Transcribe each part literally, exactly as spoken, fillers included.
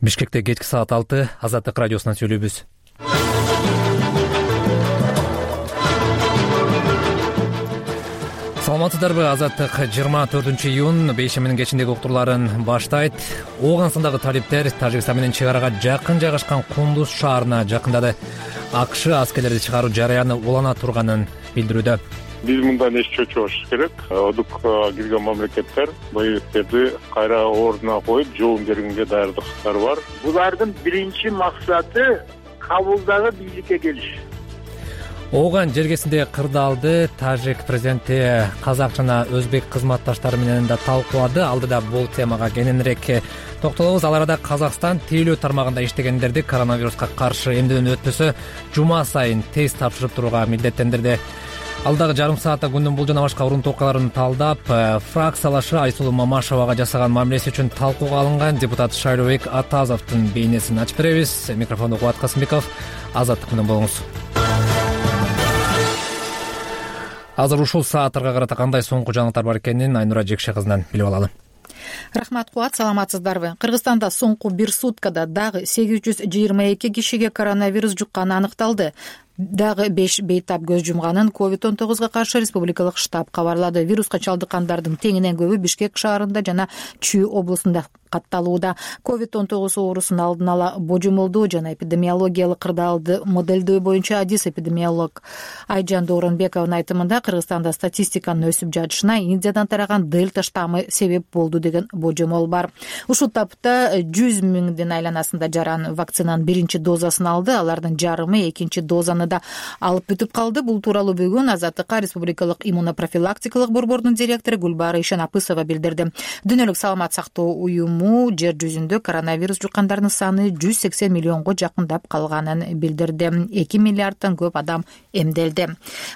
Бишкекте кечки саат алты, Азаттык радиосунан сүйлөйбүз. Саламатсыздарбы? Азаттык жыйырма төртүнчү июнь бейшеминин кечиндеги уктурларын баштайт. Ооганстандагы талиптер Тажикстан менен чек арага жакын жайгашкан Кундуз шаарына жакындады. АКШ аскерлерди чыгаруу жараяны улана турганын билдирүүдө. Биз мындан эч чочубашыбыз керек. Одукка кирген мамлекеттер боевиктерди кайра ордуна коюп, жооп бергенге даярдыктары бар. Булардын биринчи максаты Кабулдагы бийликке келиш. Ооган жергесинде кырдаалды Тажик президенти казак жана өзбек кызматташтары менен да талкуулады. Алдыда бул темага кененирээк токтолобуз. Ал арада Казакстан тейлөө тармагында иштегендерди коронавируска каршы эмдөөдөн өтпөсө жума сайын тест тапшырып турууга милдеттендирди. Алдагы жарым саатта күндүн бул жана башка урун токаларын талдап, фракциялашы Айсулуу Мамашевага жасаган мамилеси үчүн талкууга алынган депутат Шайлообек Атазовдун бейнесин ачып беребиз. Микрофонду Кубат Касымбеков, Азаттык менен болуңуз. Азыр ушул сааттарга карата кандай соңку жаңылыктар бар экенин Айнура Жекше кызынан билип алалы. Рахмат, Кубат, саламатсыздарбы? Кыргызстанда соңку бир суткада дагы сегиз жүз жыйырма эки кишиге коронавирус жукканы аныкталды. Дагы беш бейтап көз жумганын ковид он тогузга каршы республикалык штаб кабарлады. Вируска чалдыккандардын теңинен көбү Бишкек шаарында жана Чүй облусунда катталууда. ковид он тогуз оорусун алдын ала божомолдоо жана эпидемиологиялык кырдаалды моделдөө боюнча адис эпидемиолог Айжан Дооронбековдун айтымында Кыргызстанда статистиканын өсүп жатышына Индиядан тараган дельта штаммы себеп болду деген божомол бар. Ушул тапта жүз миңдин айланасында жаран вакцинанын биринчи дозасын алды. Алардын жарымы экинчи дозаны да алып бүтүп калды. Бул тууралуу бүгүн Азаттыкка республикалык иммунопрофилактикалык борбордун директору Гүлбара Ишенапысова билдирди. Дүйнөлүк саламат сактоо уюму жер жүзүндө коронавирус жуккандардын саны жүз сексен миллионго жакындап калганын билдирди. эки миллиарддан көп адам эмделди.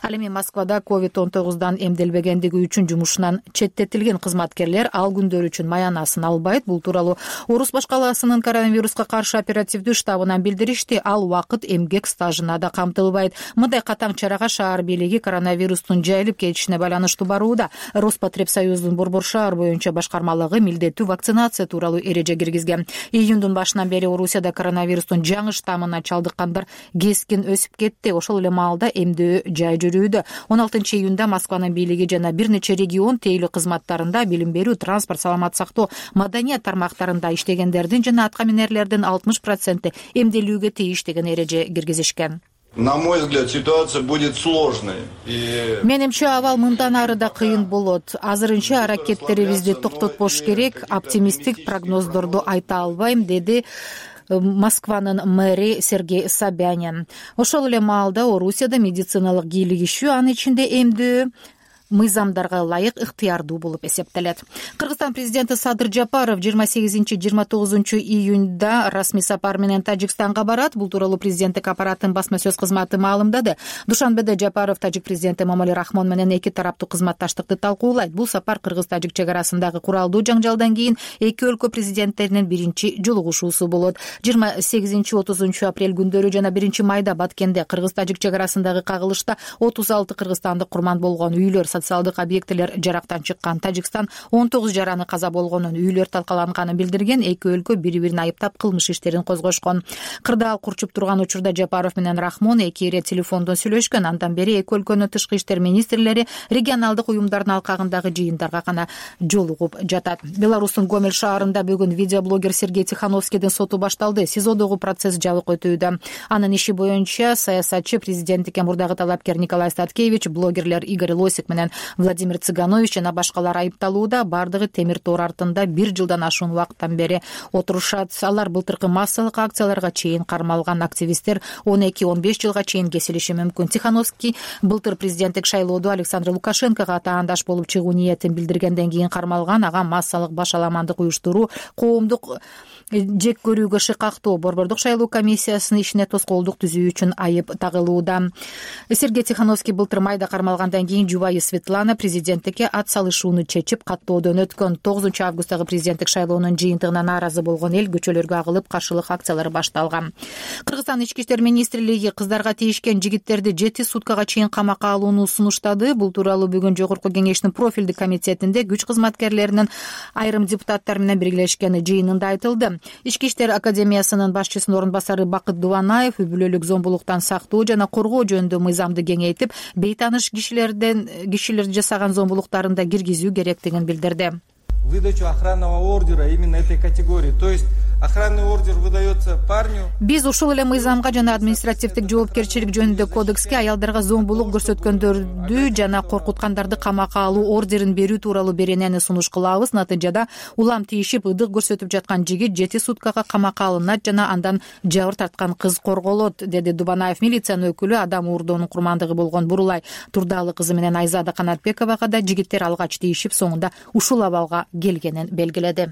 Ал эми Москвада ковид он тогуздан эмделбегендиги үчүн жумушунан четтетилген кызматкерлер ал күндөр үчүн маянасын албайт. Бул тууралуу Орус башкаласынын коронавируска каршы оперативдүү штабынан билдиришти. Ал убакыт эмгек стажына да камтылбайт. Мындай катаң чарага шаар бийлиги коронавирустун жайылып кетишине байланыштуу барууда. Роспотребсоюздун Борбор шаар боюнча башкармалыгы милдеттүү вакцинация тууралуу эреже киргизген. Июндун башынан бери Орусияда коронавирустун жаңы штаммына чалдыккандар кескин өсүп кетти. Ошол эле маалда эмдөө жай жүрүүдө. он алтынчы июнда Москванын бийлиги жана бир нече регион тейлөө кызматтарында билим берүү, транспорт, саламат сактоо, маданият тармактарында иштегендердин жана атка минерлердин алтымыш проценти эмделүүгө тийиш деген эреже киргизишкен. На мой взгляд, ситуация будет сложной. Менимче абал мындан ары да кыйын болот. Азырынча аракеттерибизди токтотпош керек. Оптимисттик прогноздорду айта албайм, деди Москванын мэри Сергей Собянин. Ошол эле маалда Орусияда медициналык кийлигишүү, анын ичинде эмдөө мыйзамдарга ылайык ыктыярдуу болуп эсептелет. Кыргызстан президенти Садыр Жапаров жыйырма сегизинчи жыйырма тогузунчу июнда расмий сапар менен Тажикстанга барат. Бул тууралуу президенттик аппараттын басма сөз кызматы маалымдады. Душанбеде Жапаров Тажик президенти Эмомали Рахмон менен эки тараптуу кызматташтыкты талкуулайт. Бул сапар Кыргыз-Тажик чек арасындагы куралдуу жаңжалдан кийин эки өлкө президенттеринин биринчи жолугушуусу болот. жыйырма сегизинчи отузунчу апрель күндөрү жана биринчи майда Баткенде Кыргыз-Тажик чек арасындагы кагылышта отуз алты кыргызстандык курман болгон үйлөр, социалдык объектилер жарактан чыккан. Тажикстан он тогуз жараны каза болгонун, үйлөр талкаланганын билдирген. Эки өлкө бири-бирин айыптап кылмыш иштерин козгошкон. Кырдаал курчуп турган учурда Жапаров менен Рахмон эки ирет телефондон сүйлөшкөн. Андан бери эки өлкөнүн тышкы иштер министрлери регионалдык уюмдардын алкагындагы жыйындарга гана жолугуп жатат. Беларустун Гомель шаарында бүгүн видеоблогер Сергей Тихановскийдин соту башталды. СИЗОдогу процесс жабык өтүүдө. Анын иши боюнча саясатчы, президенттикке мурдагы талапкер Николай Статкевич, блогерлер Игорь Лосик менен Владимир Цыганович жана башкалар айыпталууда. Бардыгы темир тоор артында бир жылдан ашуун убакыттан бери отурушат. Алар былтыркы массалык акцияларга чейин кармалган. Активисттер он эки он беш жылга чейин кесилиши мүмкүн. Тихановский былтыр президенттик шайлоодо Александр Лукашенкого таандаш болуп чыгуу ниетин билдиргенден кийин кармалган. Ага массалык башаламандык уюштуруу, коомдук жек көрүүгө шыкактоо, борбордук шайлоо комиссиясынын ишине тоскоолдук түзүү үчүн айып тагылууда. Сергей Тихановский былтыр майда кармалгандан кийин жубайы Светлана президенттикке ат салышууну чечип каттоодон өткөн. тогузунчу августтагы президенттик шайлоонун жыйынтыгына нааразы болгон эл көчөлөргө агылып каршылык акциялары башталган. Кыргызстан ички иштер министрлиги кыздарга тийишкен жигиттерди жети суткага чейин камакка алууну сунуштады. Бул тууралуу бүгүн Жогорку кеңештин профилдик комитетинде күч кызматкерлеринин айрым депутаттар менен биргелешкен жыйынында айтылды. Ички иштер академиясынын башчысынын орун басары Бакыт Дубанаев үй бүлөлүк зомбулуктан сактоо жана коргоо жөнүндө мыйзамды кеңейтип, бейтаныш кишилерден кишилер жасаган зомбулуктарын да киргизүү керектигин билдирди. Выдачу охранного ордера именно этой категории. То есть охранный ордер выдается парню. Биз ушул эле мыйзамга жана административдик жоопкерчилик жөнүндө кодекске аялдарга зомбулук көрсөткөндөрдү жана коркуткандарды камакка алуу ордерин берүү тууралуу беренени сунуш кылабыз. Натыйжада улам тийишип ыдык көрсөтүп жаткан жигит жети суткага камакка алынат жана андан жабыр тарткан кыз корголот, деди Дубанаев. Милициянын өкүлү адам уурдоонун курмандыгы болгон Бурулай Турдалы кызы менен Айзада Канатбековага да жигиттер алгач тийишип, соңунда ушул абалга келгенин белгиледи.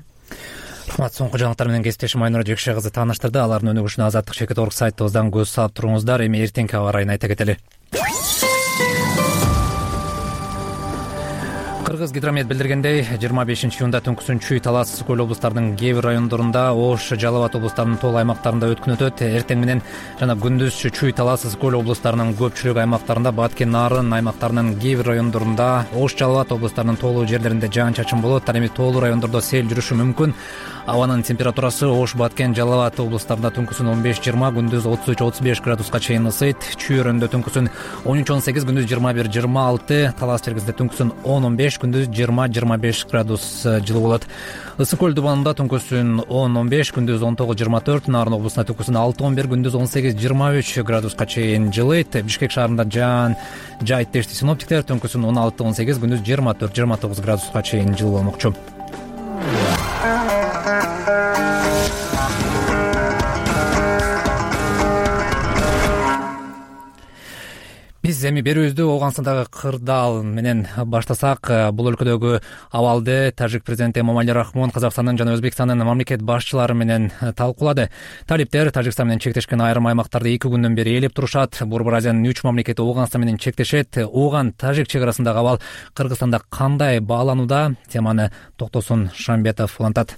Рахмат. Соңку жаңылыктар менен кесиптешим Айнура Жекше кызы тааныштырды. Алардын өнүгүшүнө Азаттык чекит орг сайтыбыздан көз салып туруңуздар. Эми эртеңки аба ырайын айта кетели. Кыргыз гидромет билдиргендей, жыйырма бешинчи июнда түнкүсүн Чүй, Талас, Көл облустарынын кээ бир райондорунда, Ош, Жалал Абад облустарынын толук аймактарында өткүн өтөт. Эртең менен жана күндүз Чүй, Талас, Көл облустарынын көпчүлүк аймактарында, Баткен, Нарын аймактарынын кээ бир райондорунда, Ош, Жалал Абад облустарынын толук жерлеринде жаан-чачын болот. Ал эми тоолуу райондордо сел жүрүшү мүмкүн. Абанын температурасы Ош, Баткен, Жалал Абад облустарында түнкүсүн он беш жыйырма, күндүз отуз үч отуз беш градуска чейин ысыйт. Чүй өрөндө түнкүсүн он үч он сегиз, күндүз жыйырма бир жыйырма алты, Талас чергесинде түнкүсүн он он беш, күндүз жыйырма жыйырма беш градус жылуу болот. Ысык көл дубанында түнкүсүн он он беш, күндүз он тогуз жыйырма төрт, Нарын облусунда түнкүсүн алты он бир, күндүз он сегиз жыйырма үч градуска чейин жылыйт. Бишкек шаарында жаан жайыт дешти синоптиктер, түнкүсүн он алты он сегиз, күндүз жыйырма төрт жыйырма тогуз градуска чейин жылуу болмокчу. Биз эми берүүбүздү Ооганстандагы кырдаал менен баштасак. Бул өлкөдөгү абалды тажик президенти Эмомали Рахмон Казакстандын жана Өзбекстандын мамлекет башчылары менен талкуулады. Талиптер Тажикстан менен чектешкен айрым аймактарды эки күндөн бери ээлеп турушат. Борбор Азиянын үч мамлекети Ооганстан менен чектешет. Ооган Тажик чек арасындагы абал Кыргызстанда кандай бааланууда? Теманы Токтосун Шамбетов улантат.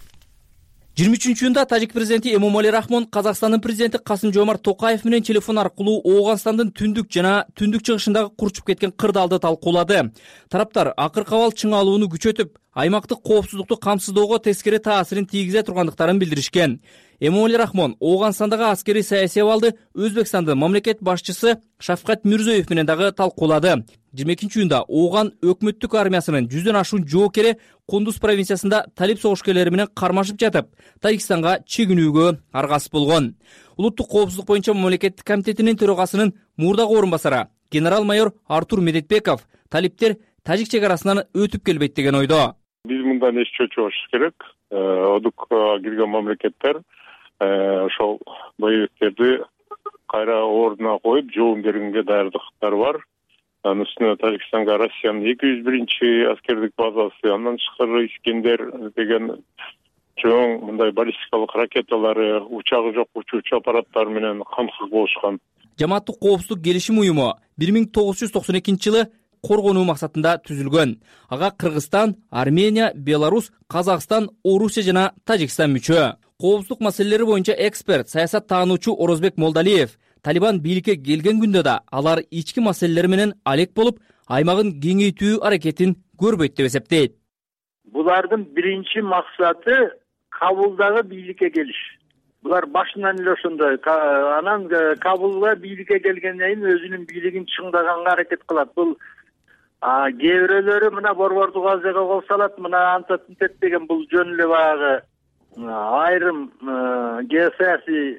жыйырма үчүнчү июнда тажик президенти Эмомали Рахмон Казакстандын президенти Касым-Жомарт Токаев менен телефон аркылуу Ооганстандын түндүк жана түндүк чыгышындагы курчуп кеткен кырдаалды талкуулады. Тараптар акыркы абал чыңалууну күчөтүп, аймактык коопсуздукту камсыздоого тескери таасирин тийгизе тургандыктарын билдиришкен. Эмомали Рахмон Ооганстандагы аскерий саясий абалды Өзбекстандын мамлекет башчысы Шавкат Мирзиёев менен дагы талкуулады. жыйырма экинчи июнда Ооган өкмөттүк армиясынын жүздөн ашуун жоокери Кундуз провинциясында талип согушкерлери менен кармашып жатып, Тажикстанга чегинүүгө аргасыз болгон. Улуттук коопсуздук боюнча мамлекеттик комитетинин төрагасынын мурдагы орун басары генерал-майор Артур Медетбеков талиптер Тажик чек арасынан өтүп келбейт деген ойдо. Биз мындан эч чочубашыбыз керек. Одук кирген мамлекеттер ошол боевиктерди кайра ордуна коюп жооп бергенге даярдыктары бар. Анын үстүнө Тажикстанга Россиянын эки жүз биринчи аскердик базасы, андан тышкары Искендер деген чоң мындай баллистикалык ракеталары, учагы жок учуучу аппараттар менен камсыз болушкан. Жамааттык коопсуздук келишим уюму бир миң тогуз жүз токсон экинчи жылы коргонуу максатында түзүлгөн. Ага Кыргызстан, Армения, Беларусь, Казакстан, Орусия жана Тажикстан мүчө. Коопсуздук маселелери боюнча эксперт, саясат таануучу Орозбек Молдалиев Талибан бийликке келген күндө да алар ички маселелер менен алек болуп, аймагын кеңейтүү аракетин көрбөйт деп эсептейт. Булардын биринчи максаты Кабулдагы бийликке келиш. Булар башынан эле ошондой. Анан Кабулга бийликке келгенден кийин өзүнүн бийлигин чыңдаганга аракет кылат. Бул кээ бирөөлөрү мына Борбордук Азияга кол салат, мына антат интет деген бул жөн эле баягы айрым геосаясий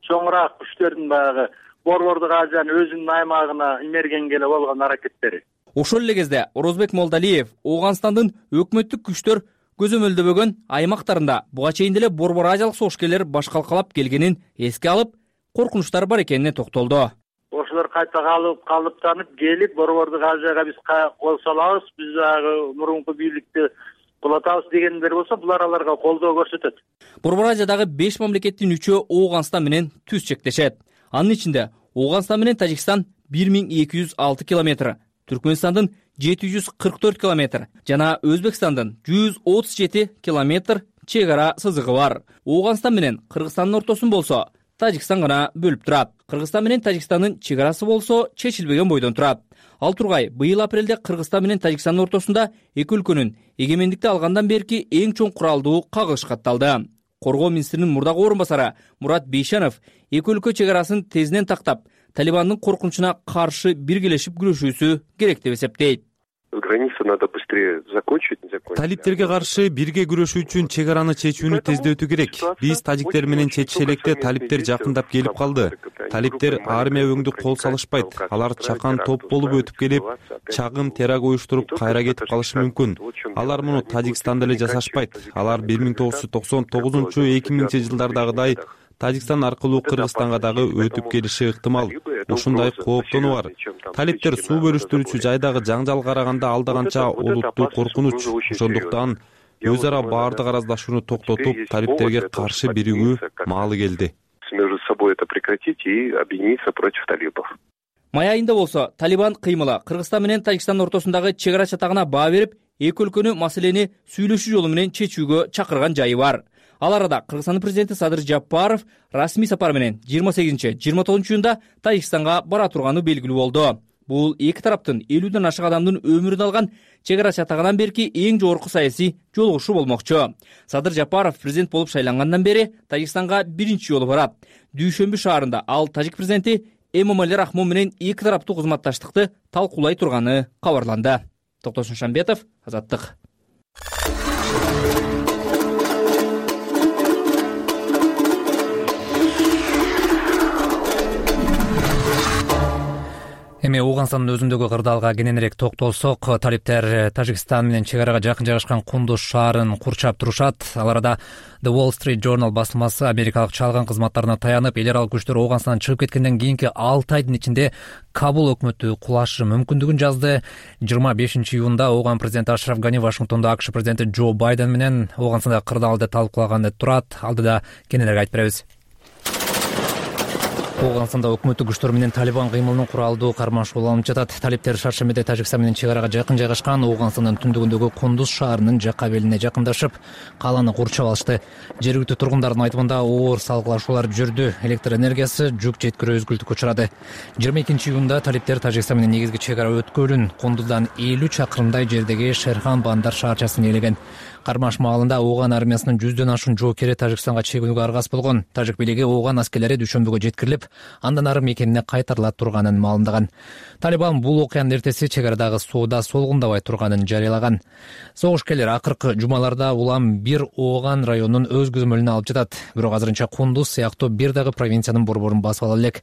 чоңураак күчтөрдүн баягы Борбордук Азиянын өзүнүн аймагына имергенге эле болгон аракеттери. Ошол эле кезде Орозбек Молдалиев Ооганстандын өкмөттүк күчтөр көзөмөлдөбөгөн аймактарында буга чейин деле Борбор Азиялык согушкерлер башкалкалап келгенин эске алып, коркунучтар бар экенине токтолду. Ошолор кайта калып калыптанып келип Борбордук Азияга биз кол салабыз, биз дагы мурунку бийликти кулатабыз дегендер болсо, булар аларга колдоо көрсөтөт. Борбор Азиядагы беш мамлекеттин үчөө Ооганстан менен түз чектешет. Анын ичинде Ооганстан менен Тажикстан бир миң эки жүз алты километр, Түркмөнстандын жети жүз кырк төрт километр жана Өзбекстандын жүз отуз жети километр чек ара сызыгы бар. Ооганстан менен Кыргызстандын ортосун болсо Тажикстан гана бөлүп турат. Кыргызстан менен Тажикстандын чек арасы болсо чечилбеген бойдон турат. Ал тургай быйыл апрелде Кыргызстан менен Тажикстандын ортосунда эки өлкөнүн эгемендикти алгандан берки эң чоң куралдуу кагылыш катталды. Коргоо министринин мурдагы орун басары Мурат Бейшанов эки өлкө чек арасын тезинен тактап, Талибандын коркунучуна каршы биргелешип күрөшүүсү керек деп эсептейт. Границу надо быстрее закончить. Талиптерге каршы бирге күрөшүү үчүн чек араны чечүүнү тездетүү керек. Биз тажиктер менен чечише электе талиптер жакындап келип калды. Талиптер армия өңдү кол салышпайт. Алар чакан топ болуп өтүп келип, чагым теракт уюштуруп кайра кетип калышы мүмкүн. Алар муну Тажикстанда эле жасашпайт. Алар бир миң тогуз жүз токсон тогузунчу эки миңинчи жылдардагыдай Тажикстан аркылуу Кыргызстанга дагы өтүп келиши ыктымал. Ушундай кооптонуу бар. Талиптер суу бөлүштүрүүчү жайдагы жаңжал караганда алда канча олуттуу коркунуч. Ошондуктан өз ара баардык араздашууну токтотуп, талиптерге каршы биригүү маалы келди. Между собой это прекратить и объединиться против талибов. Май айында болсо Талибан кыймылы Кыргызстан менен Тажикстандын ортосундагы чек ара чатагына баа берип, эки өлкөнү маселени сүйлөшүү жолу менен чечүүгө чакырган жайы бар. Ал арада Кыргызстандын президенти Садыр Жапаров расмий сапар менен жыйырма сегизинчи жыйырма тогузунчу июнда Тажикстанга бара турганы белгилүү болду. Бул эки тараптын элүүдөн ашык адамдын өмүрүн алган чек ара чатагынан берки эң жогорку саясий жолугушуу болмокчу. Садыр Жапаров президент болуп шайлангандан бери Тажикстанга биринчи жолу барат. Дүйшөмбү шаарында ал тажик президенти Эмомали Рахмон менен эки тараптуу кызматташтыкты талкуулай турганы кабарланды. Токтосун Шамбетов, Азаттык. Эми Ооганстандын өзүндөгү кырдаалга кененирээк токтолсок, талиптер Тажикстан менен чек арага жакын жайгашкан Кундуз шаарын курчап турушат. Ал арада The Wall Street Journal басылмасы америкалык чалган кызматтарына таянып, эл аралык күчтөр Ооганстандан чыгып кеткенден кийинки алты айдын ичинде Кабул өкмөтү кулашы мүмкүндүгүн жазды. жыйырма бешинчи июнда Ооган президенти Ашраф Гани Вашингтондо АКШ президенти Джо Байден менен Ооганстандагы кырдаалды талкуулаганы турат. Алдыда кененирээк айтып беребиз. Ооганстанда өкмөттүк күчтөр менен Талибан кыймылынын куралдуу кармашуу алынып жатат. Талиптер шаршембиде Тажикстан менен чек арага жакын жайгашкан Ооганстандын түндүгүндөгү Кундуз шаарынын жакка белине жакындашып, калааны курчап алышты. Жергиликтүү тургундардын айтымында оор салгылашуулар жүрдү. Электр энергиясы жүк жеткирүү үзгүлтүккө учурады. жыйырма экинчи июнда талиптер Тажикстан менен негизги чек ара өткөлүн Кундуздан элүү чакырымдай жердеги Шерхан Бандар шаарчасын ээлеген. Кармаш маалында Ооган армиясынын жүздөн ашуун жоокери Тажикстанга чегүүгө аргас болгон. Тажик бийлиги Ооган аскерлери дүйшөмбүгө жеткирилип, андан ары мекенине кайтарыла турганын маалымдаган. Талибан бул окуянын эртеси чек арадагы соода солгундабай турганын жарыялаган. Согушкерлер акыркы жумаларда улам бир Ооган районунун өз көзөмөлүнө алып жатат. Бирок азырынча Кундуз сыяктуу бир дагы провинциянын борборун басып ала элек.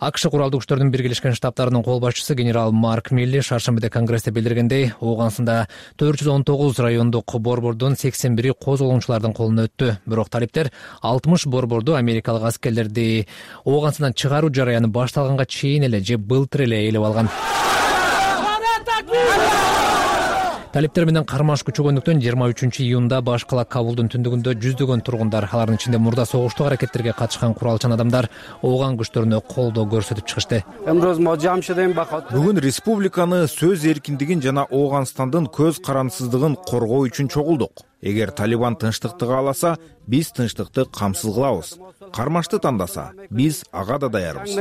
АКШ куралдуу күчтөрдүн биргелешкен штабтарынын кол башчысы генерал Марк Милли шаршембиде Конгрессте билдиргендей, Ооганстанда төрт жүз он тогуз райондук борбордун сексен бири козголгончулардын колуна өттү. Бирок талиптер алтымыш борборду америкалык аскерлерди Ооганстандан чыгаруу жараяны башталганга чейин эле же былтыр эле ээлеп алган. Талиптер менен кармаш күчөгөндүктөн жыйырма үчүнчү июнда баш кала Кабулдун түндүгүндө жүздөгөн тургундар, алардын ичинде мурда согуштук аракеттерге катышкан куралчан адамдар Ооган күчтөрүнө колдоо көрсөтүп чыгышты. Бүгүн республиканы, сөз эркиндигин жана Ооганстандын көз карандысыздыгын коргоо үчүн чогулдук. Эгер Талибан тынчтыкты кааласа, биз тынчтыкты камсыз кылабыз. Кармашты тандаса, биз ага да даярбыз,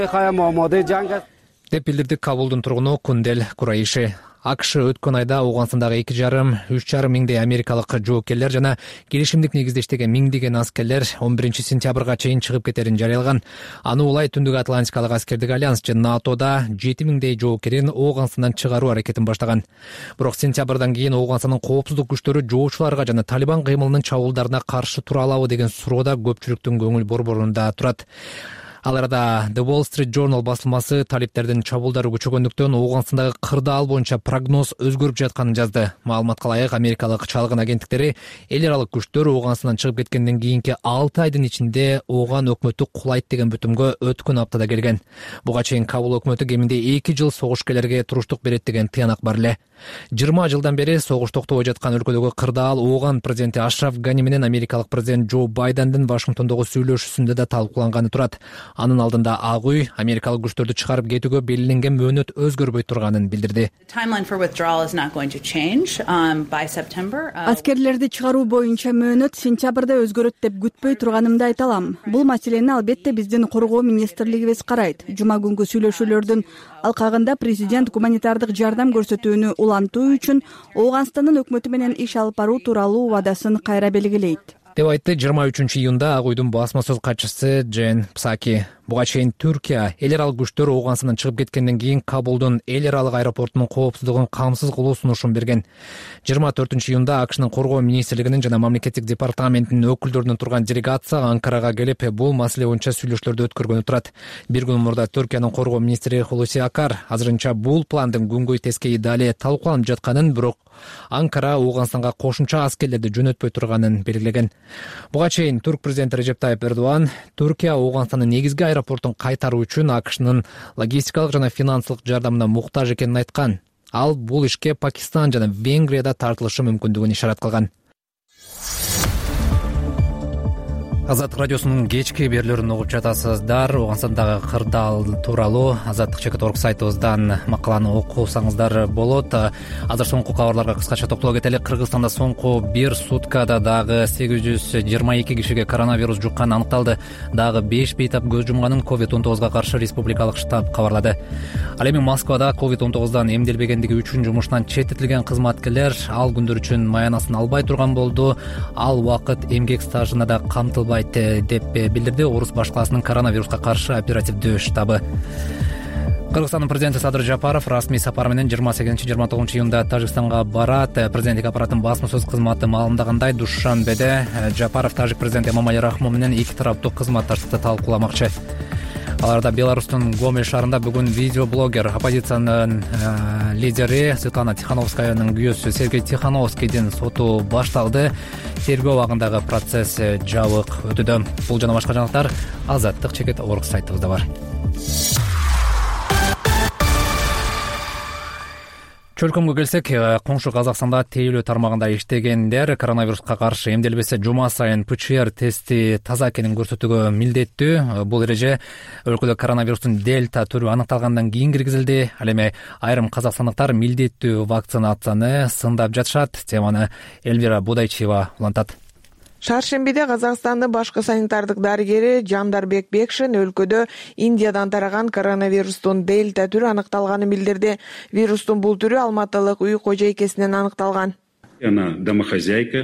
деп билдирди Кабулдун тургуну Кундел Курайши. АКШ өткөн айда Ооганстандагы эки жарым үч жарым миңдей америкалык жоокерлер жана келишимдик негизде иштеген миңдеген аскерлер он биринчи сентябрга чейин чыгып кетерин жарыялаган. Аны улай Түндүк Атлантикалык аскердик альянс же НАТОда жети миңдей жоокерин Ооганстандан чыгаруу аракетин баштаган. Бирок сентябрдан кийин Ооганстандын коопсуздук күчтөрү жоочуларга жана Талибан кыймылынын чабуулдарына каршы тура алабы деген суроода көпчүлүктүн көңүл борборунда турат. Ал арада The Wall Street Journal басылмасы талиптердин чабуулдары күчөгөндүктөн Ооганстандагы кырдаал боюнча прогноз өзгөрүп жатканын жазды. Маалыматка ылайык, америкалык чалгын агенттиктери эл аралык күчтөр Ооганстандан чыгып кеткенден кийинки алты айдын ичинде Ооган өкмөтү кулайт деген бүтүмгө өткөн аптада келген. Буга чейин Кабул өкмөтү кеминде эки жыл согушкерлерге туруштук берет деген тыянак бар эле. жыйырма жылдан бери согуш токтобой жаткан өлкөдөгү кырдаал Ооган президенти Ашраф Гани менен америкалык президент Джо Байдендин Вашингтондогу сүйлөшүүсүндө да талкууланганы турат. Анын алдында Ак үй америкалык күчтөрдү чыгарып кетүүгө белгиленген мөөнөт өзгөрбөй турганын билдирди. Аскерлерди чыгаруу боюнча мөөнөт сентябрда өзгөрөт деп күтпөй турганымды айта алам. Бул маселени албетте биздин коргоо министрлигибиз карайт. Жума күнгү сүйлөшүүлөрдүн алкагында президент гуманитардык жардам көрсөтүүнү улантуу үчүн Ооганстандын өкмөтү менен иш алып баруу тууралуу убадасын кайра белгилейт деп айтты жыйырма үчүнчү июнда Ак үйдүн басма сөз катчысы Джен Псаки. Буга чейин Түркия эл аралык күчтөр Ооганстандан чыгып кеткенден кийин Кабулдун эл аралык аэропортунун коопсуздугун камсыз кылуу сунушун берген. жыйырма төртүнчү июнда АКШнын коргоо министрлигинин жана мамлекеттик департаментинин өкүлдөрүнөн турган делегация Анкарага келип, бул маселе боюнча сүйлөшүүлөрдү өткөргөнү турат. Бир күн мурда Түркиянын коргоо министри Хулуси Акар азырынча бул пландын күнгөй тескейи дале талкууланып жатканын, бирок Анкара Ооганстанга кошумча аскерлерди жөнөтпөй турганын белгилеген. Буга чейин Турк президенти Режеп Тайип Эрдоган Түркия Ооганстандын негизги аэропортун кайтаруу үчүн АКШнын логистикалык жана финансылык жардамына муктаж экенин айткан. Ал бул ишке Пакистан жана Венгрияда тартылышы мүмкүндүгүн ишарат кылган. Азаттык радиосунун кечки берүүлөрүн угуп жатасыздар. Ооганстандагы кырдаал тууралуу азаттык чекит орг сайтыбыздан макаланы окусаңыздар болот. Азыр соңку кабарларга кыскача токтоло кетели. Кыргызстанда соңку бир суткада дагы сегиз жүз жыйырма эки кишиге коронавирус жукканы аныкталды. Дагы беш бейтап көз жумганын ковид он тогузга каршы республикалык штаб кабарлады. Ал эми Москвада ковид он тогуздан эмделбегендиги үчүн жумуштан четтетилген кызматкерлер ал күндөр үчүн маянасын албай турган болду. Ал убакыт эмгек стажына да камтылбайт деп билдирди Орус башкаласынын коронавируска каршы оперативдүү штабы. Кыргызстандын президенти Садыр Жапаров расмий сапар менен жыйырма сегизинчи жыйырма тогузунчу июнда Тажикстанга барат. Президенттик аппараттын басма сөз кызматы маалымдагандай, Душанбеде Жапаров тажик президенти Эмомали Рахмон менен эки тараптуу кызматташтыкты талкууламакчы. Аларда Беларустун Гомель шаарында бүгүн видеоблогер, оппозициянын э, лидери Светлана Тихановскаянын күйөөсү Сергей Тихановскийдин соту башталды. Тергөө абагындагы процесс жабык өтүүдө. Бул жана башка жаңалыктар азаттык чекит орг сайтыбызда бар. Чөлкөмгө келсек, коңшу Казакстанда тейлөө тармагында иштегендер коронавируска каршы эмделбесе жума сайын ПЦР тести таза экенин көрсөтүүгө милдеттүү. Бул эреже өлкөдө коронавирустун дельта түрү аныкталгандан кийин киргизилди. Ал эми айрым казакстандыктар милдеттүү вакцинацияны сындап жатышат. Теманы Эльвира Будайчиева улантат. Шаршембиде Казакстандын башкы санитардык дарыгери Жандарбек Бекшин өлкөдө Индиядан тараган коронавирустун дельта түрү аныкталганын билдирди. Вирустун бул түрү алматылык үй кожойкесинен аныкталган. Она домохозяйка.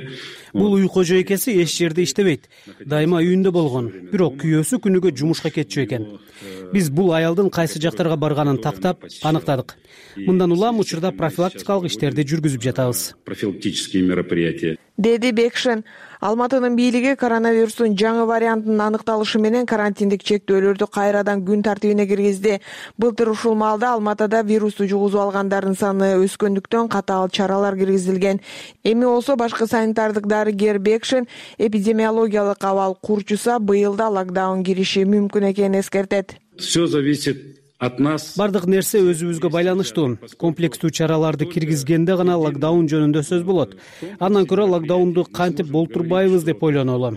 Бул үй кожойкеси эч жерде иштебейт. Дайыма үйүндө болгон. Бирок күйөөсү күнүгө жумушка кетчү экен. Биз бул аялдын кайсы жактарга барганын тактап аныктадык. Мындан улам учурда профилактикалык иштерди жүргүзүп жатабыз. Профилактические мероприятия. Деди Бекшин. Алматынын бийлиги коронавирустун жаңы вариантынын аныкталышы менен карантиндик чектөөлөрдү кайрадан күн тартибине киргизди. Былтыр ушул маалда Алматада вирусту жугузуп алгандардын саны өскөндүктөн катаал чаралар киргизилген. Эми болсо башкы санитардык дарыгер Бекшин эпидемиологиялык абал курчуса быйыл да локдаун кириши мүмкүн экенин эскертет. Все зависит от нас. Бардык нерсе өзүбүзгө байланыштуу. Комплекстүү чараларды киргизгенде гана локдаун жөнүндө сөз болот. Андан көрө локдаунду кантип болтурбайбыз деп ойлонолу.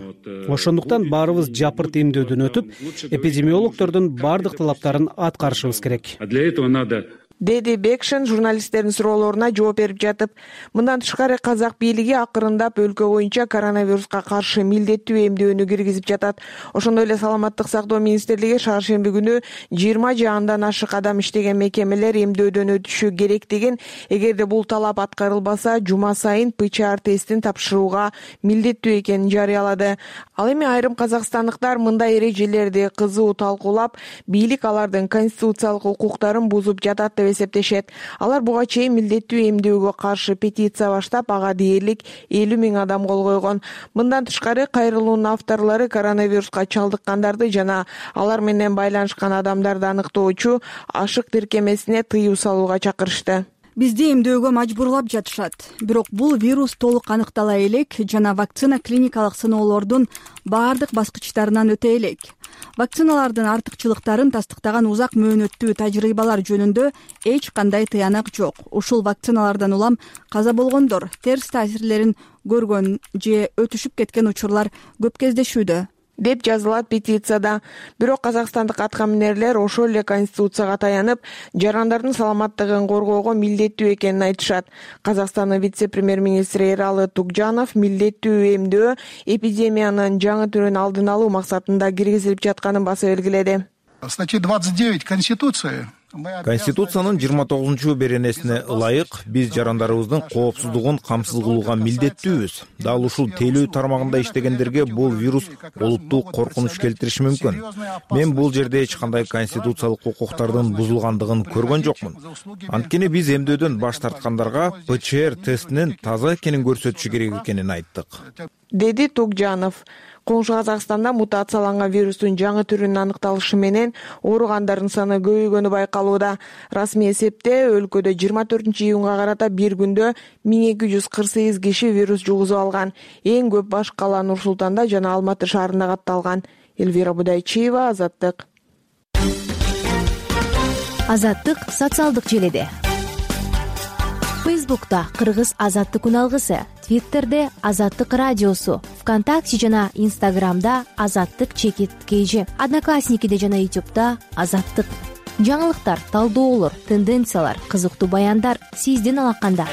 Ошондуктан баарыбыз жапырт эмдөөдөн өтүп, эпидемиологдордун бардык талаптарын аткарышыбыз керек. А для этого надо Деди Бекшин журналисттердин суроолоруна жооп берип жатып, мындан тышкары казак бийлиги акырындап өлкө боюнча коронавируска каршы милдеттүү эмдөөнү киргизип жатат. Ошондой эле саламаттык сактоо министрлиги шаршемби күнү жыйырма же андан ашык адам иштеген мекемелер эмдөөдөн өтүшү керектигин, эгерде бул талап аткарылбаса, жума сайын ПЦР тестин тапшырууга милдеттүү экенин жарыялады. Ал эми айрым казакстандыктар мындай эрежелерди кызуу талкуулап, бийлик алардын конституциялык укуктарын бузуп жатат деп эсептешет. Алар буга чейин милдеттүү эмдөөгө каршы петиция баштап, ага дээрлик элүү миң адам кол койгон. Мындан тышкары кайрылуунун авторлору коронавируска чалдыккандарды жана алар менен байланышкан адамдарды аныктоочу ашык тиркемесине тыюу салууга чакырышты. Бизди эмдөөгө мажбурлап жатышат. Бирок бул вирус толук аныктала элек жана вакцина клиникалык сыноолордун баардык баскычтарынан өтө элек. вакциналардын артыкчылыктарын тастыктаган узак мөөнөттүү тажрыйбалар жөнүндө эч кандай тыянак жок. Ушул вакциналардан улам каза болгондор, терс таасирлерин көргөн же өтүшүп кеткен учурлар көп кездешүүдө деп жазылат петицияда. Бирок казакстандык аткаминерлер ошол эле конституцияга таянып, жарандардын саламаттыгын коргоого милдеттүү экенин айтышат. Казакстандын вице-премьер-министри Эралы Тугжанов милдеттүү эмдөө эпидемиянын жаңы түрүн алдын алуу максатында киргизилип жатканын баса белгиледи. Статья двадцать девять Конституции. Конституциянын жыйырма тогузунчу беренесине ылайык биз жарандарыбыздын коопсуздугун камсыз кылууга милдеттүүбүз. Дал ушул тейлөө тармагында иштегендерге бул вирус олуттуу коркунуч келтириши мүмкүн. Мен бул жерде эч кандай конституциялык укуктардын бузулгандыгын көргөн жокмун. Анткени биз эмдөөдөн баш тарткандарга ПЧР тестинин таза экенин көрсөтүшү керек экенин айттык, деди Тугжанов. Коңшу Казакстанда мутацияланган вирустун жаңы түрүнүн аныкталышы менен ооругандардын саны көбөйгөнү байкалууда. Расмий эсепте өлкөдө жыйырма төртүнчү июнга карата бир күндө миң эки жүз кырк сегиз киши вирус жугузуп алган. Эң көп баш кала Нур Султанда жана Алматы шаарында катталган. Элвира Будайчиева, Азаттык. Азаттык социалдык желеде. Фейсбукта Кыргыз Азаттык үналгысы, Твиттерде Азаттык радиосу, ВКонтакте жана Инстаграмда Азаттык чекит кейжи, Одноклассникиде жана Ютубта Азаттык. Жаңылыктар, талдоолор, тенденциялар, кызыктуу баяндар сиздин алаканда.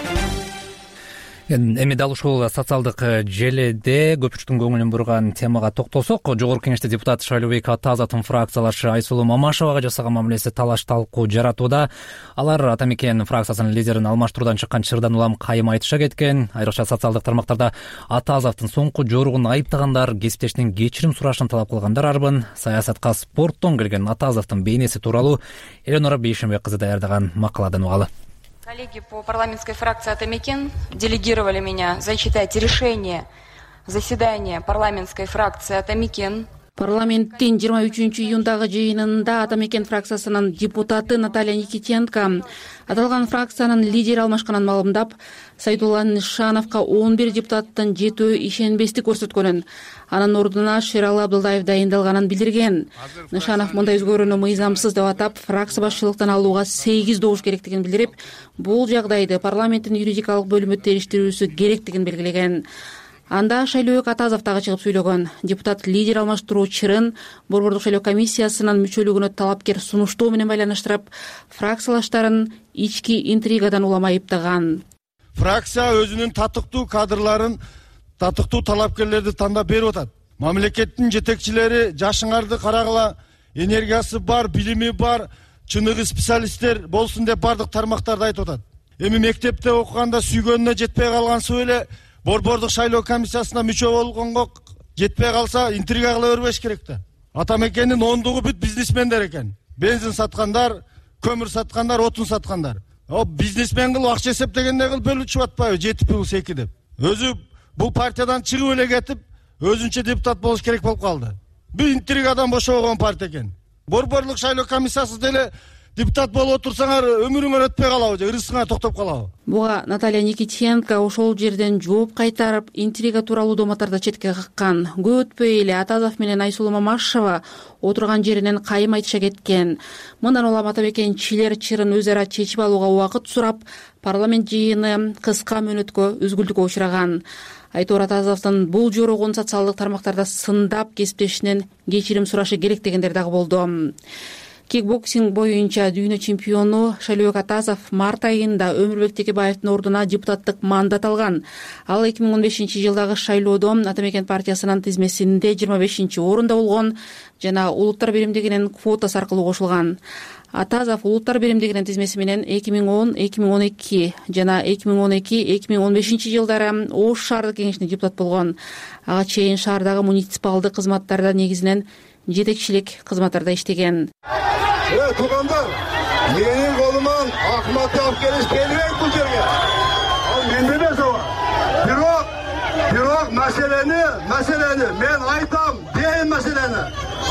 Эми дал ушул социалдык желеде көпчүлүктүн көңүлүн бурган темага токтолсок, жогорку кеңеште депутат Шайлообек Атазовдун фракциялашы Айсулуу Мамашевага жасаган мамилеси талаш талкуу жаратууда. Алар Ата Мекен фракциясынын лидерин алмаштыруудан чыккан чырдан улам кайым айтыша кеткен. Айрыкча социалдык тармактарда Атазовдун соңку жоругун айыптагандар, кесиптешинин кечирим сурашын талап кылгандар арбын. Саясатка спорттон келген Атазовдун бейнеси тууралуу Эленора Бейшенбек кызы даярдаган макаладан угалы. Коллеги по парламентской фракции «Ата Мекен» делегировали меня зачитать решение заседания парламентской фракции «Ата Мекен». Парламенттин жыйырма үчүнчү июндагы жыйынында Ата Мекен фракциясынын депутаты Наталья Никитенко аталган фракциянын лидери алмашканын маалымдап, Сайдулла Нышановго он бир депутаттын жетөө ишенбестик көрсөткөнүн, анын ордуна Шералы Абдылдаев дайындалганын билдирген. Нышанов мындай өзгөрүүнү мыйзамсыз деп атап, фракция башчылыктан алууга сегиз добуш керектигин билдирип, бул жагдайды парламенттин юридикалык бөлүмү териштирүүсү керектигин белгилеген. Анда Шайлообек Атазов дагы чыгып сүйлөгөн. Депутат лидер алмаштыруу чырын Борбордук шайлоо комиссиясынын мүчөлүгүнө талапкер сунуштоо менен байланыштырып, фракциялаштарын ички интригадан улам айыптаган. Фракция өзүнүн татыктуу кадрларын, татыктуу талапкерлерди тандап берип атат. Мамлекеттин жетекчилери жашыңарды карагыла, энергиясы бар, билими бар, чыныгы специалисттер болсун деп бардык тармактарды айтып атат. Эми мектепте окуганда сүйгөнүнө жетпей калган эле Борбордук шайлоо комиссиясына мүчө болгонго жетпей калса интрига кыла бербеш керек да. Ата Мекенин ондугу бүт бизнесмендер экен. Бензин саткандар, көмүр саткандар, отун саткандар. О бизнесмен кылып акча эсептегенде кылып бөлүнүп атпайбы жети плюс эки деп. Өзү бул партиядан чыгып эле кетип, өзүнчө депутат болуш керек болуп калды. Бул интригадан бошобогон партия экен. Борборлук шайлоо комиссиясы деле депутат болуп отурсаңар өмүрүңөр өтпөй калабы же ырысыңар токтоп калабы? Буга Наталья Никитенко ошол жерден жооп кайтарып, интрига тууралуу доматтарды четке каккан. Көп өтпөй эле Атазов менен Айсулуу Мамашева отурган жеринен кайым айтыша кеткен. Мындан улам Ата Мекенчилер чырын өз ара чечип алууга убакыт сурап, парламент жыйыны кыска мөөнөткө үзгүлтүккө учураган. Айтор Атазовдун бул жоругун социалдык тармактарда сындап, кесиптешинен кечирим сурашы керек дегендер дагы болду. Кикбоксинг боюнча дүйнө чемпиону Шайлообек Атазов март айында Өмүрбек Текебаевдин ордуна депутаттык мандат алган. Ал эки миң он бешинчи жылдагы шайлоодо Ата Мекен партиясынын тизмесинде жыйырма бешинчи орунда болгон жана улуттар биримдигинин квотасы аркылуу кошулган. Атазов улуттар биримдигинин тизмеси менен эки миң он эки миң он эки жана эки миң он эки эки миң он бешинчи жылдары Ош шаардык кеңешине депутат болгон. Ага чейин шаардагы муниципалдык кызматтарда негизинен жетекчилик кызматтарда иштеген. Э, туугандар, менин колуман Акматты алып келиш келбейт бул жерге. Ал менде эмес ага. Бирок, бирок маселени, маселени мен айтам, дейм маселени.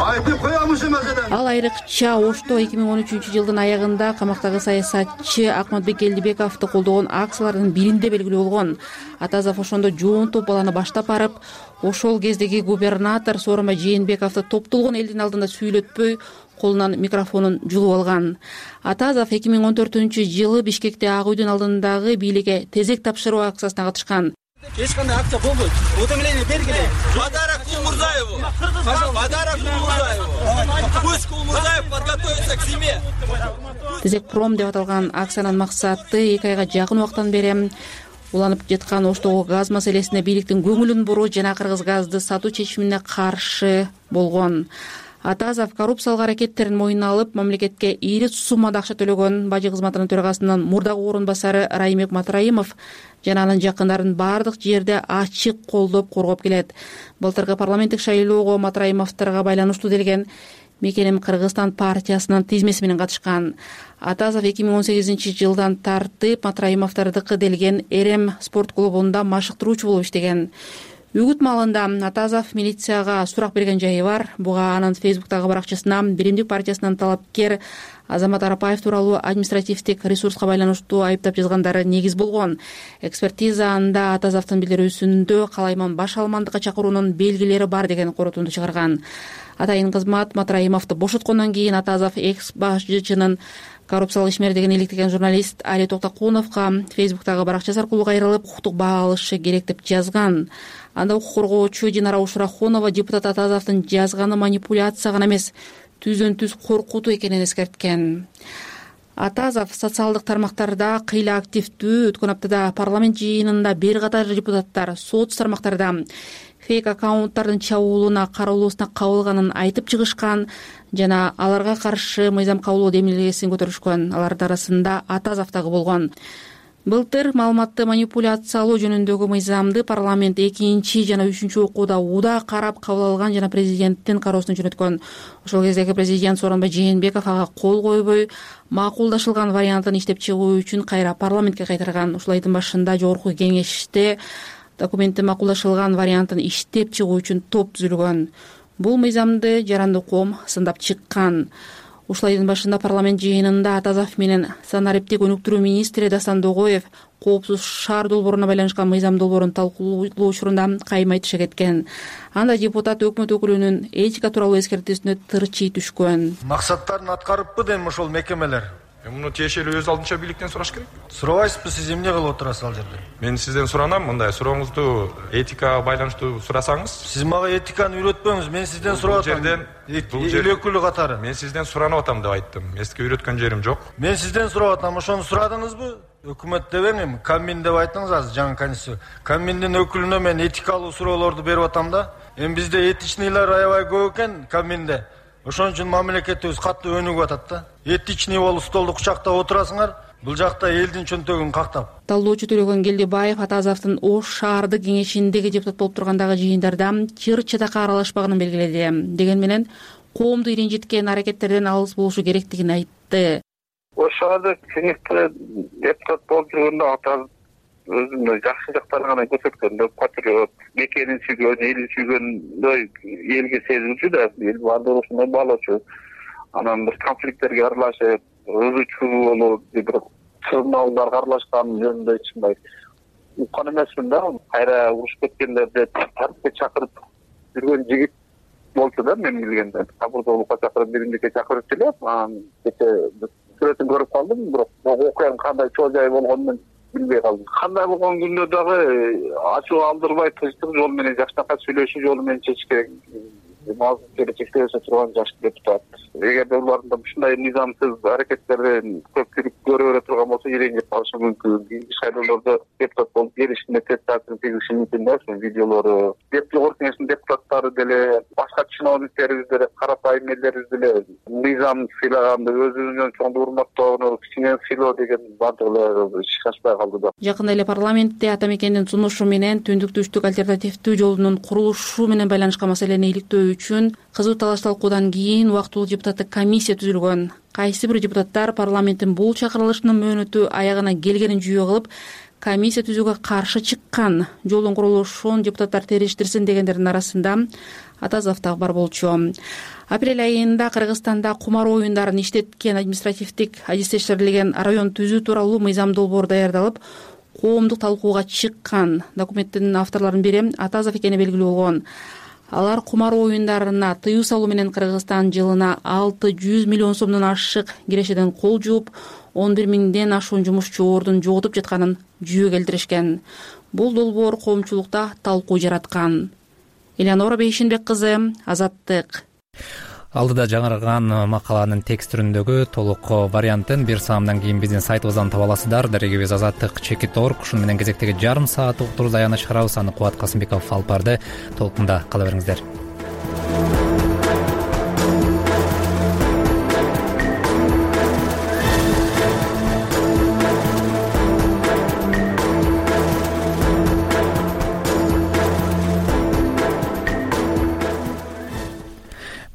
Айтып коям ушул маселени. Ал айрыкча Ошто эки миң он үчүнчү жылдын аягында камактагы саясатчы Акматбек Элдибековду колдогон акциялардын биринде белгилүү болгон. Атазов ошондо жоонтоп баланы баштап барып, ошол кездеги губернатор Сооронбай Жээнбековду топтолгон элдин алдында сүйлөтпөй колунан микрофонун жулуп алган. Атазов эки миң он төртүнчү жылы Бишкекте Ак үйдүн алдындагы бийликке тезек тапшыруу акциясына катышкан. Эч кандай акция болбойт. Уведомление бергиле. Подарок Кулмурзаеву. Подарок Кулмурзаеву. Пусть Кулмурзаев подготовится к зиме. Тезекпром деп аталган акциянын максаты эки айга жакын убакыттан бери уланып жаткан Оштогу газ маселесине бийликтин көңүлүн буруу жана кыргыз газды сатуу чечимине каршы болгон. Атазов коррупциялык аракеттерин мойнуна алып, мамлекетке ийри суммада акча төлөгөн бажы кызматынын төрагасынын мурдагы орун басары Раймек Матраимов жана анын жакындарын бардык жерде ачык колдоп коргоп келет. Былтыркы парламенттик шайлоого Матраимовдорго байланыштуу делген Мекеним Кыргызстан партиясынын тизмеси менен катышкан. Атазов эки миң он сегизинчи жылдан тартып Матраимовдордуку делген Эрем спорт клубунда машыктыруучу болуп иштеген. Үгүт маалында Атазов милицияга сурак берген жайы бар. Буга анын фейсбуктагы баракчасына Биримдик партиясынын талапкер Азамат Арапаев тууралуу административдик ресурска байланыштуу айыптап жазгандары негиз болгон. Экспертиза анда Атазовдун билдирүүсүндө калайман баш алмандыкка чакыруунун белгилери бар деген корутунду чыгарган. Атайын кызмат Матраимовду бошоткондон кийин Атазов экс башчынын коррупциялык ишмердигин иликтеген журналист Али Токтокуновго фейсбуктагы баракчасы аркылуу кайрылып, укуктук баа алышы керек деп жазган. Анда укук коргоочу Динара Ушрахунова депутат Атазовдун жазганы манипуляция гана эмес, түздөн түз коркутуу экенин эскерткен. Атазов социалдык тармактарда кыйла активдүү. Өткөн аптада парламент жыйынында бир катар депутаттар соц тармактарда фейк аккаунттардын чабуулуна каралуусуна кабылганын айтып чыгышкан жана аларга каршы мыйзам кабылуу демилгесин көтөрүшкөн. Алардын арасында Атазов дагы болгон. Былтыр маалыматты манипуляциялоо жөнүндөгү мыйзамды парламент экинчи жана үчүнчү окууда уда карап кабыл алган жана президенттин кароосуна жөнөткөн. Ошол кездеги президент Сооронбай Жээнбеков ага кол койбой, макулдашылган вариантын иштеп чыгуу үчүн кайра парламентке кайтарган. Ушул айдын башында жогорку кеңеште документтин макулдашылган вариантын иштеп чыгуу үчүн топ түзүлгөн. Бул мыйзамды жаранды коом сындап чыккан. Ушул айдын башында парламент жыйынында Атазов менен санариптик өнүктүрүү министри Дастан Догоев коопсуз шаар долбооруна байланышкан мыйзам долбоорун талкуулоо учурунда кайым айтыша кеткен. Анда депутат өкмөт өкүлүнүн этика тууралуу эскертүүсүнө тырчый түшкөн. Максаттарын аткарыппы дейм ошол мекемелер. Муну тиешелүү өз алдынча бийликтен сураш керек. Сурабайсызбы, сиз эмне кылып отурасыз ал жерде? Мен сизден суранам, мындай сурооңузду этикага байланыштуу сурасаңыз. Сиз мага этиканы үйрөтпөңүз, мен сизден сурап атам. Бул жерден эл өкүлү катары. Мен сизден суранып атам деп айттым. Эске үйрөткөн жерим жок. Мен сизден сурап атам, ошону сурадыңызбы? Өкмөт дебең эми, Камин деп айттыңыз азыр, жаңы конституция. Каминдин өкүлүнө мен этикалуу суроолорду берип атам да. Эми бизде этичныйлар аябай көп экен Каминде. Ошон үчүн мамлекетибиз катуу өнүгүп атат да. Этичный болуп столду кучактап отурасыңар, бул жакта элдин чөнтөгүн кактап. Талдоочу Төлөгөн Келдибаев Атазовдун Ош шаардык кеңешиндеги депутат болуп тургандагы жыйындарда чыр чатакка аралашпаганын белгиледи. Деген менен коомду иринжиткен аракеттерден алыс болушу керектигин айтты. Ош шаардык кеңеште депутат болуп жүргөндө Атазов өзүнүн жакшы жактарын гана көрсөткөн, патриот, мекенин сүйгөн, элин сүйгөндөй элге сезилчү да, эл баардыгы ушундай баалоочу. Анан бир конфликттерге аралашып, ырычуу болуп, бир сыналдарга аралашкан жөнүндө ичинбай уккан эмесмин да. Кайра урушуп кеткендерди тартипке чакырып жүргөн жигит болчу да, мен билгенде. Кабырдуулукка чакырып, биримдикке чакырып келип, анан кече сүрөтүн көрүп калдым, бирок окуянын кандай чоо жайы болгонун билбей калдым. Кандай болгон күндө дагы ачуу алдырбай тынчтык жолу менен жаштакка сүйлөшүү жолу менен чечиш керек. Мазмун келечекте турган жаш депутат. Эгерде улардын ушундай мыйзамсыз аракеттерден көпчүлүк көрө бере турган болсо, иреңдеп калышы мүмкүн. Кийинки шайлоолордо депутат болуп келишине тез таасир тийгизиши мүмкүн да, ушул видеолору. Жогорку кеңештин депутаттары деле, башка чиновниктерибиз деле, карапайым элдерибиз деле мыйзам сыйлаганды, өзүнүн чоң урматтоону, кичинен сыйлоо деген бардыгы ишке ашпай калды да. Жакында эле парламентте ата мекендин сунушу менен түндүк түштүк альтернативдүү жолунун курулушу менен байланышкан маселени иликтөө үчүн кызуу талаш талкуудан кийин убактылуу депутаттык комиссия түзүлгөн. Кайсы бир депутаттар парламенттин бул чакырылышынын мөөнөтү аягына келгенин жүйө кылып, комиссия түзүүгө каршы чыккан. Жолдун курулушун депутаттар териштирсин дегендердин арасында Атазов дагы бар болчу. Апрель айында Кыргызстанда кумар оюндарын иштеткен административдик адистештирилген район түзүү тууралуу мыйзам долбоор даярдалып, коомдук талкууга чыккан. Документтин авторлорунун бири Атазов экени белгилүү болгон. Алар кумар оюндарына тыюу салуу менен Кыргызстан жылына алты жүз миллион сомдон ашык кирешеден кол жууп, он бир миңден ашуун жумушчу ордун жоготуп жатканын жүйө келтиришкен. Бул долбоор коомчулукта талкуу жараткан. Элеонора Бейшинбек кызы, Азаттык. Алдыда жаңырган макаланын текст түрүндөгү толук вариантын бир саамдан кийин биздин сайтыбыздан таба аласыздар. Дарегибиз азаттык чекит точка орг. Ушун менен кезектеги жарым саат уктуруубуз аягына чыгарабыз. Аны Кубат Касымбеков алып барды. Толкунда кала бериңиздер.